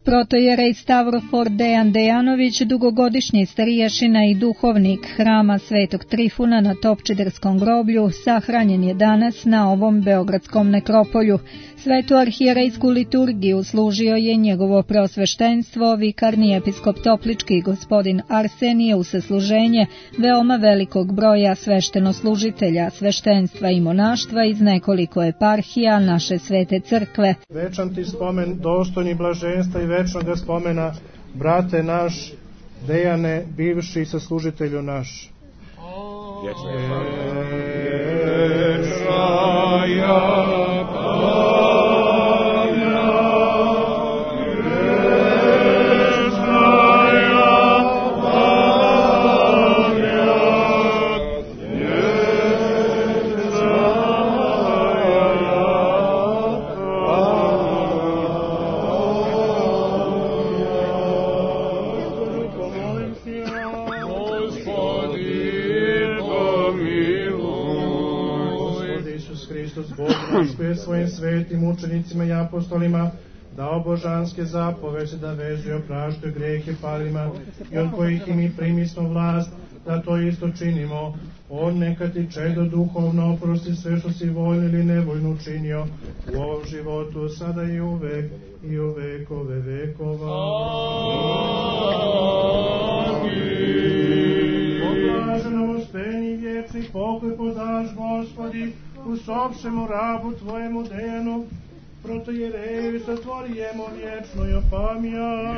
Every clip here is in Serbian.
Protojerej Stavrofor Dejan Dejanović, dugogodišnji stariješina i duhovnik hrama Svetog Trifuna na Topčiderskom groblju, sahranjen je danas na ovom beogradskom nekropolju. Svetu arhijerejsku liturgiju služio je njegovo preosveštenstvo, vikarni episkop Toplički gospodin Arsenije, u sasluženje veoma velikog broja sveštenoslužitelja, sveštenstva i monaštva iz nekoliko eparhija naše svete crkve. Večan ti spomen, dostojni blaženstva i večnog spomena, brate naš, Dejane, bivši saslužitelju naš. Svojim svetim učenicima i apostolima dao božanske zapovesti da vezu i opraštaju grehe palima i od kojih i mi primismo vlast da to isto činimo. On neka ti čedo duhovno oprosti sve što si voljno ili nevoljno učinio u ovom životu, sada i uvek i u vekove vekova. Poblaženo uspenji vječni pokoj podaš, Gospodi, usopšemo rabu tvojemu Dejanu, protojereju zatvorijemo vječno i opamija.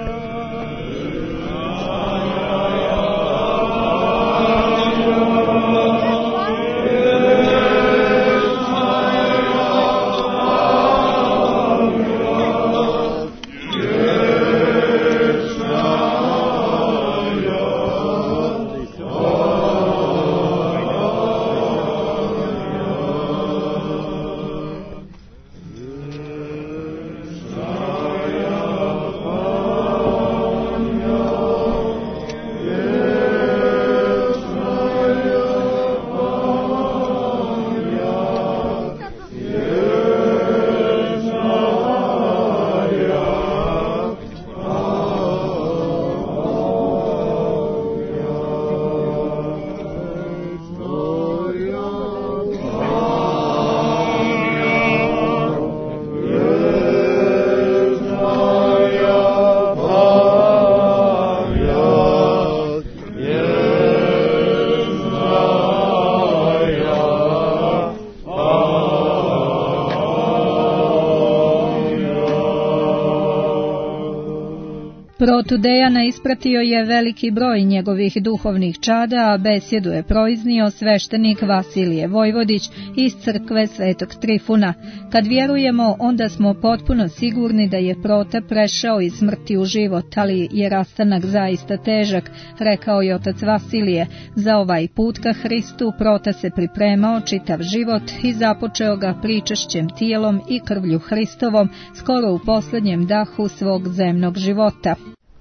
Protu Dejana ispratio je veliki broj njegovih duhovnih čada, a besjedu je proiznio sveštenik Vasilije Vojvodić iz crkve Svetog Trifuna. Kad vjerujemo, onda smo potpuno sigurni da je Prota prešao iz smrti u život, ali je rastanak zaista težak, rekao je otac Vasilije. Za ovaj put ka Hristu Prota se pripremao čitav život i započeo ga pričešćem tijelom i krvlju Hristovom, skoro u posljednjem dahu svog zemnog života.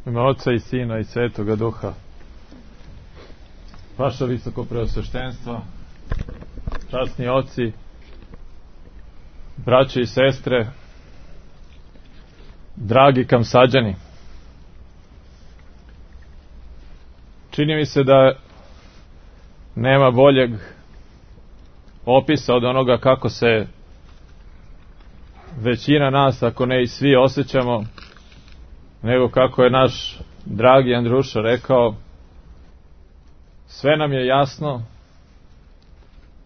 Ime Oca i Sina i Svetoga Duha. Vaša visoko preosveštenstvo, časni oci, braće i sestre, dragi Kamsađani. Čini mi se da nema boljeg opisa od onoga kako se većina nas, ako ne i svi, osjećamo, nego kako je naš dragi Andruša rekao, sve nam je jasno,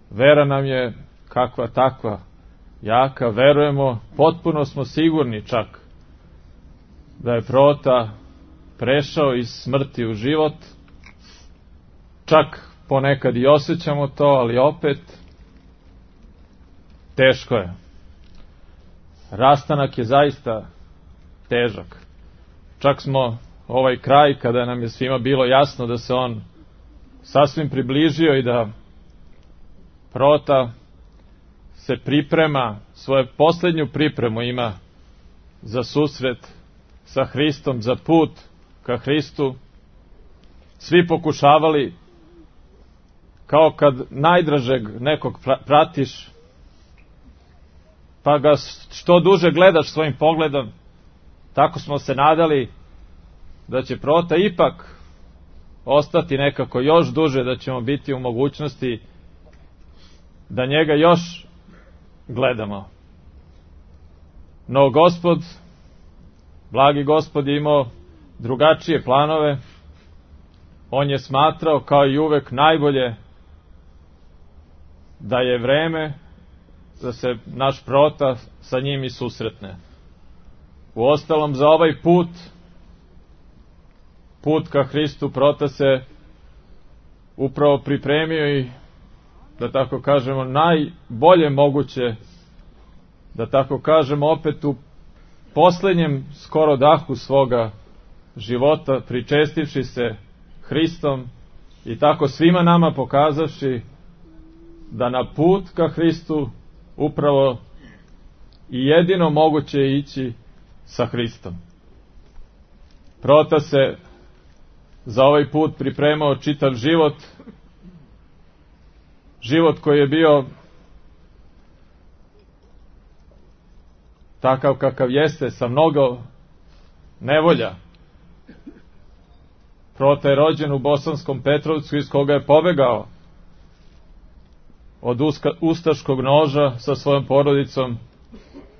vera nam je kakva takva jaka, verujemo, potpuno smo sigurni čak da je Prota prešao iz smrti u život, čak ponekad i osjećamo to, ali opet teško je. Rastanak je zaista težak. Čak smo ovaj kraj, kada nam je svima bilo jasno da se on sasvim približio i da Prota se priprema, svoju posljednju pripremu ima za susret sa Hristom, za put ka Hristu, svi pokušavali, kao kad najdražeg nekog pratiš, pa ga što duže gledaš svojim pogledom, tako smo se nadali da će Prota ipak ostati nekako još duže, da ćemo biti u mogućnosti da njega još gledamo. No Gospod, blagi Gospod, je imao drugačije planove. On je smatrao, kao i uvek, najbolje da je vreme da se naš Prota sa njim i susretne. Uostalom, za ovaj put ka Hristu, Prota se upravo pripremio i, da tako kažemo, najbolje moguće, da tako kažemo, opet u poslednjem skoro dahu svoga života, pričestivši se Hristom i tako svima nama pokazavši da na put ka Hristu upravo i jedino moguće je ići sa Hristom. Prota se za ovaj put pripremao čitav život, život koji je bio takav kakav jeste, sa mnogo nevolja. Prota je rođen u Bosanskom Petrovcu, iz koga je pobegao od ustaškog noža sa svojom porodicom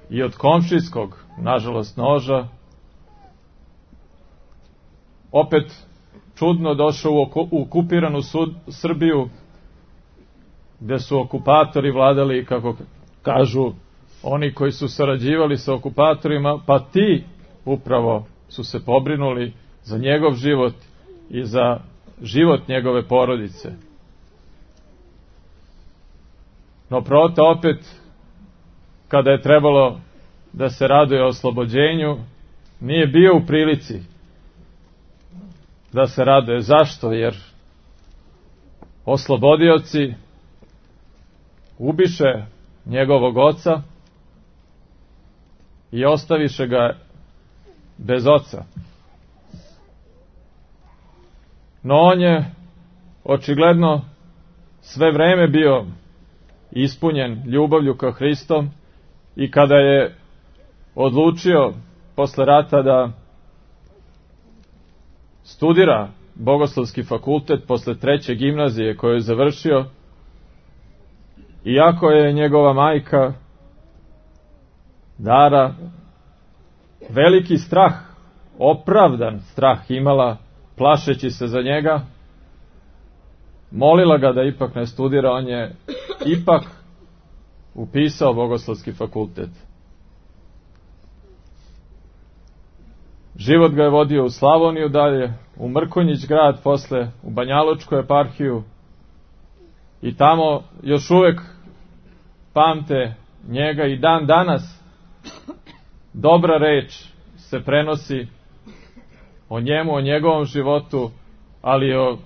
i od komšijskog, nažalost, noža. Opet čudno došao u okupiranu Srbiju, gde su okupatori vladali, kako kažu oni koji su sarađivali sa okupatorima, pa ti upravo su se pobrinuli za njegov život i za život njegove porodice. No Prota opet, kada je trebalo da se raduje oslobođenju, nije bio u prilici da se raduje. Zašto? Jer oslobodioci ubiše njegovog oca i ostaviše ga bez oca. No on je očigledno sve vreme bio ispunjen ljubavlju ka Hristom i kada je odlučio posle rata da studira Bogoslovski fakultet posle 3. gimnazije koju je završio, iako je njegova majka Dara veliki strah, opravdan strah imala, plašeći se za njega, molila ga da ipak ne studira, on je ipak upisao Bogoslovski fakultet. Život ga je vodio u Slavoniju dalje, u Mrkonjić grad, posle u Banjalučku eparhiju, i tamo još uvek pamte njega i dan danas dobra reč se prenosi o njemu, o njegovom životu, ali i o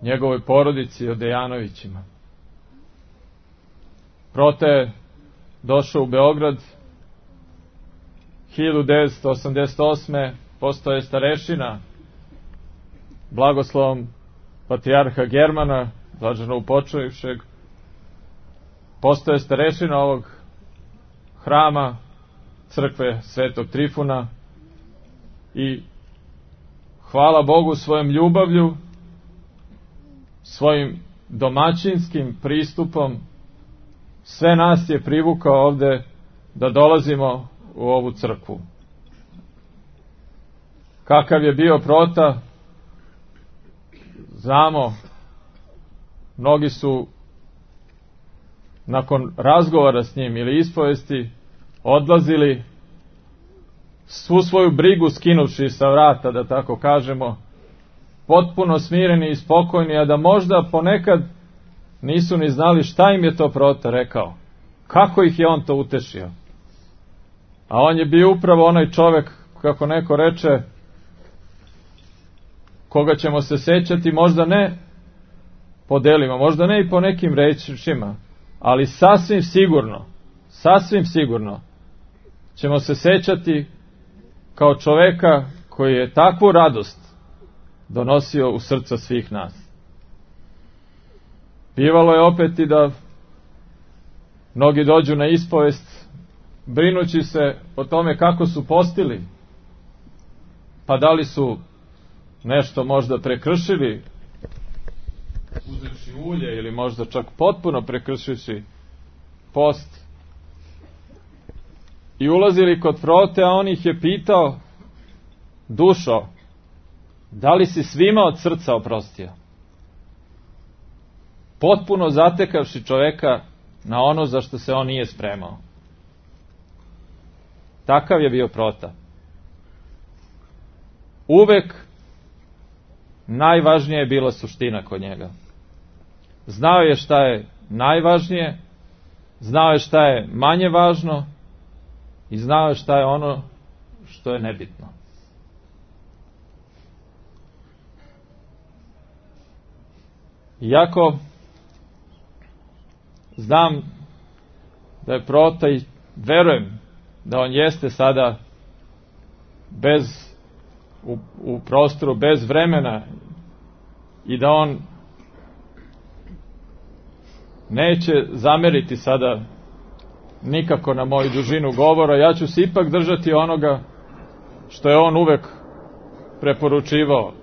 njegovoj porodici, o Dejanovićima. Prota je došao u Beograd 1988. Postao je starešina blagoslovom patrijarha Germana, blaženo upočivšeg. Postao je starešina ovog hrama crkve Svetog Trifuna i hvala Bogu svojom ljubavlju, svojim domaćinskim pristupom sve nas je privukao ovde da dolazimo u ovu crkvu. Kakav je bio Prota, znamo, mnogi su nakon razgovora s njim ili ispovesti odlazili svu svoju brigu skinuvši sa vrata, da tako kažemo, potpuno smireni i spokojni, a da možda ponekad nisu ni znali šta im je to Prota rekao, kako ih je on to utešio. A on je bio upravo onaj čovek, kako neko reče, koga ćemo se sećati možda ne po delima, možda ne i po nekim rečima, ali sasvim sigurno ćemo se sećati kao čoveka koji je takvu radost donosio u srca svih nas. Bivalo je opet i da mnogi dođu na ispovest brinući se o tome kako su postili, pa da li su nešto možda prekršili, uzevši ulje, ili možda čak potpuno prekršivši post, i ulazili kod Prote, a on ih je pitao: dušo, da li si svima od srca oprostio? Potpuno zatekavši čoveka na ono za što se on nije spremao. Takav je bio Prota. Uvek najvažnija je bila suština kod njega. Znao je šta je najvažnije, znao je šta je manje važno i znao je šta je ono što je nebitno. Iako znam da je Prota, i verujem da on jeste sada u prostoru bez vremena i da on neće zameriti sada nikako na moju dužinu govora, ja ću se ipak držati onoga što je on uvek preporučivao.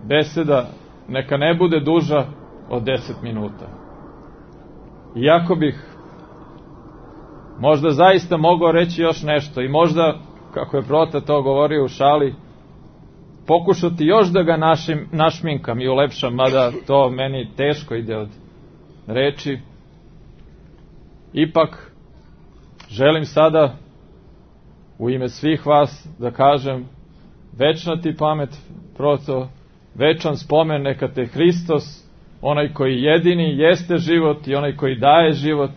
Beseda neka ne bude duža od 10 minuta. Iako bih možda zaista mogao reći još nešto i možda, kako je Prota to govorio u šali, pokušati još da ga našminkam i ulepšam, mada to meni teško ide od reči. Ipak želim sada u ime svih vas da kažem: večna ti pamet, Proto, večan spomen neka te Hristos, onaj koji jedini jeste život i onaj koji daje život,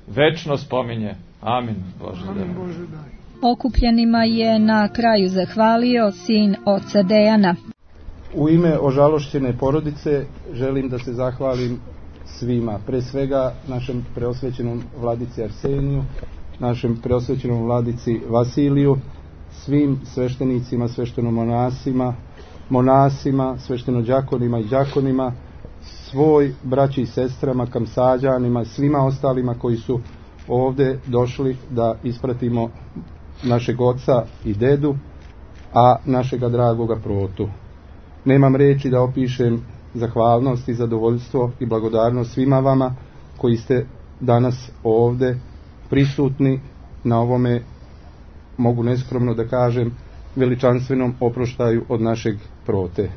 večno spominje. Amin. Bože daj. Okupljenima je na kraju zahvalio sin oca Dejana. U ime ožalošćene porodice želim da se zahvalim svima, pre svega našem preosvećenom vladici Arseniju, našem preosvećenom vladici Vasiliju, svim sveštenicima, sveštenomonasima, monasima, sveštenođakonima i đakonima, svoj braći i sestrama, kamsađanima, svima ostalima koji su ovde došli da ispratimo našeg oca i dedu, a našega dragoga Protu. Nemam reči da opišem zahvalnost i zadovoljstvo i blagodarnost svima vama koji ste danas ovde prisutni na ovome, mogu neskromno da kažem, veličanstvenom oproštaju od našeg Prote.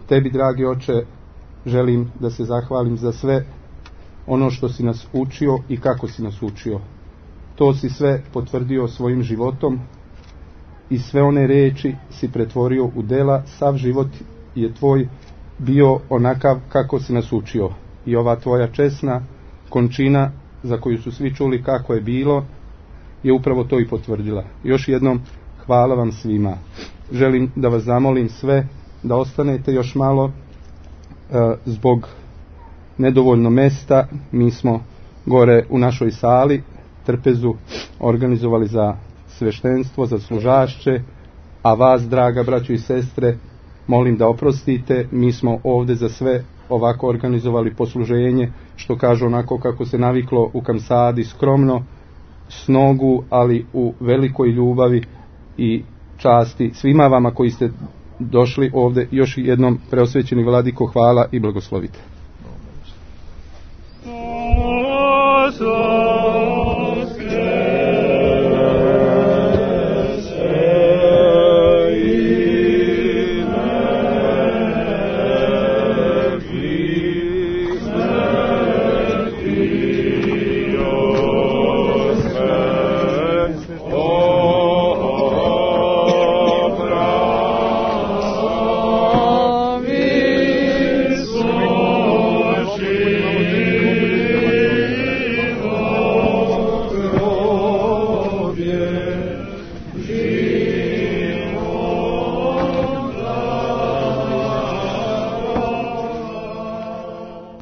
Tebi, dragi oče, želim da se zahvalim za sve ono što si nas učio i kako si nas učio. To si sve potvrdio svojim životom i sve one reči si pretvorio u dela. Sav život je tvoj bio onakav kako si nas učio. I ova tvoja česna končina, za koju su svi čuli kako je bilo, je upravo to i potvrdila. Još jednom hvala vam svima. Želim da vas zamolim sve da ostanete još malo zbog nedovoljno mesta. Mi smo gore u našoj sali trpezu organizovali za sveštenstvo, za služašće, a vas, draga braćo i sestre, molim da oprostite. Mi smo ovde za sve ovako organizovali posluženje, što kažu onako kako se naviklo u Kamsadi, skromno, s nogu, ali u velikoj ljubavi i časti svima vama koji ste došli ovde. Još jednom, preosvećeni vladiko, hvala i blagoslovite.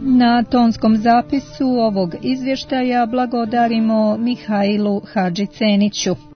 Na tonskom zapisu ovog izvještaja blagodarimo Mihajlu Hadžiceniću.